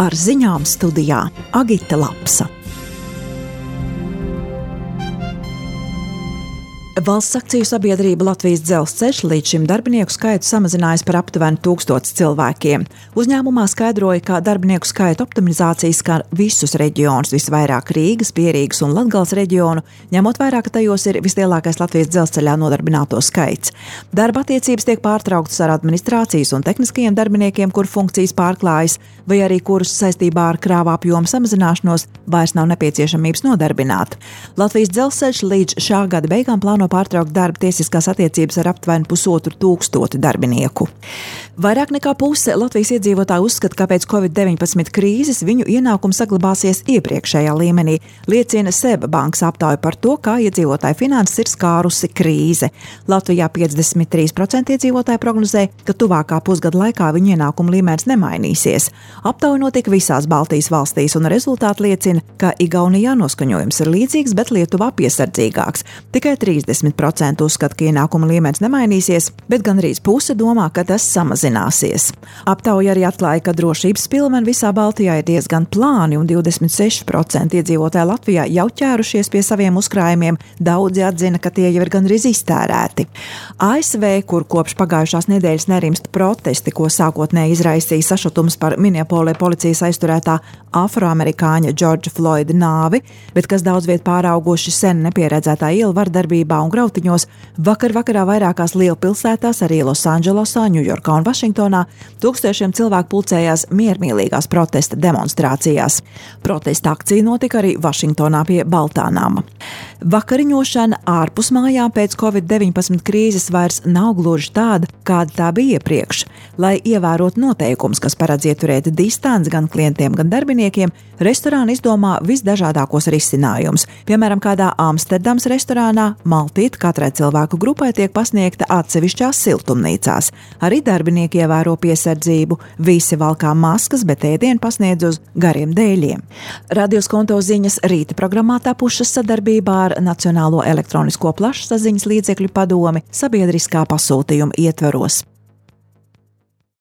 Ar ziņām studijā Agita Lapsa. Valsts akciju sabiedrība Latvijas Dzelzceļš līdz šim darbinieku skaitu samazinājas par aptuveni 1000 cilvēkiem. Uzņēmumā skaidroja, ka darbinieku skaita optimizācija skar visus reģionus, visvairāk Rīgas, Pierīgas un Latgales reģionu, ņemot vērā, ka tajos ir vislielākais Latvijas dzelzceļā nodarbināto skaits. Darba attiecības tiek pārtrauktas ar administrācijas un tehniskajiem darbiniekiem, kur funkcijas pārklājas, vai arī kurus saistībā ar krāva apjomu samazināšanos vairs nav nepieciešamības nodarbināt. Latvijas Dzelzceļš līdz šā gada beigām plāno pārtraukt darba tiesiskās attiecības ar aptuveni 1500 darbinieku. Vairāk nekā puse Latvijas iedzīvotāju uzskata, ka pēc Covid-19 krīzes viņu ienākumi saglabāsies iepriekšējā līmenī, liecina SEB bankas aptauja par to, kā iedzīvotāju finanses ir skārusi krīze. Latvijā 53% iedzīvotāju prognozē, ka tuvākā pusgada laikā viņu ienākumu līmenis nemainīsies. Aptauja notika visās Baltijas valstīs, un rezultāti liecina, ka Igaunijā noskaņojums ir līdzīgs, bet Lietuvā piesardzīgāks. Tikai 30% uzskata, ka ienākuma līmenis nemainīsies, bet gandrīz puse domā, ka tas samazināsies. Aptauja arī atklāja, ka drošības pilveni visā Baltijā ir diezgan plāni, un 26% iedzīvotāji Latvijā jau ķērušies pie saviem uzkrājumiem. Daudzi atzina, ka tie jau ir gandrīz iztērēti. ASV, kur kopš pagājušās nedēļas nerimst protesti, ko sākotnēji izraisīja sašutums par Minneapolē policijas aizturētā afroamerikāņa Džordža Floyda nāvi, bet kas daudz viet pārauguši sen nepieredzētā ielu vardarbībā un grautiņos, vakarā vairākās lielpilsētās, arī Losandželosā, Ņujorkā un Vašingtonā, tūkstošiem cilvēku pulcējās miermīlīgās protesta demonstrācijās. Protesta akcija notika arī Vašingtonā pie Baltā nama. Vakariņošana ārpus mājām pēc Covid-19 krīzes vairs nav gluži tāda, kāda tā bija iepriekš. Lai ievērotu noteikumus, kas paredz ieturēt distanci gan klientiem, gan darbiniekiem, restorāni izdomā visdažādākos risinājumus. Piemēram, kādā Amsterdams restorānā maltīte katrai cilvēku grupai tiek pasniegta atsevišķās siltumnīcās. Arī darbinieki ievēro piesardzību. Visi valkā maskas, bet ēdienu pasniedz uz gariem dēļiem. Radio Skonto ziņas rīta programmā tapušas sadarbībā ar Nacionālo elektronisko plašsaziņas līdzekļu padomi sabiedriskā pasūtījuma ietvaros.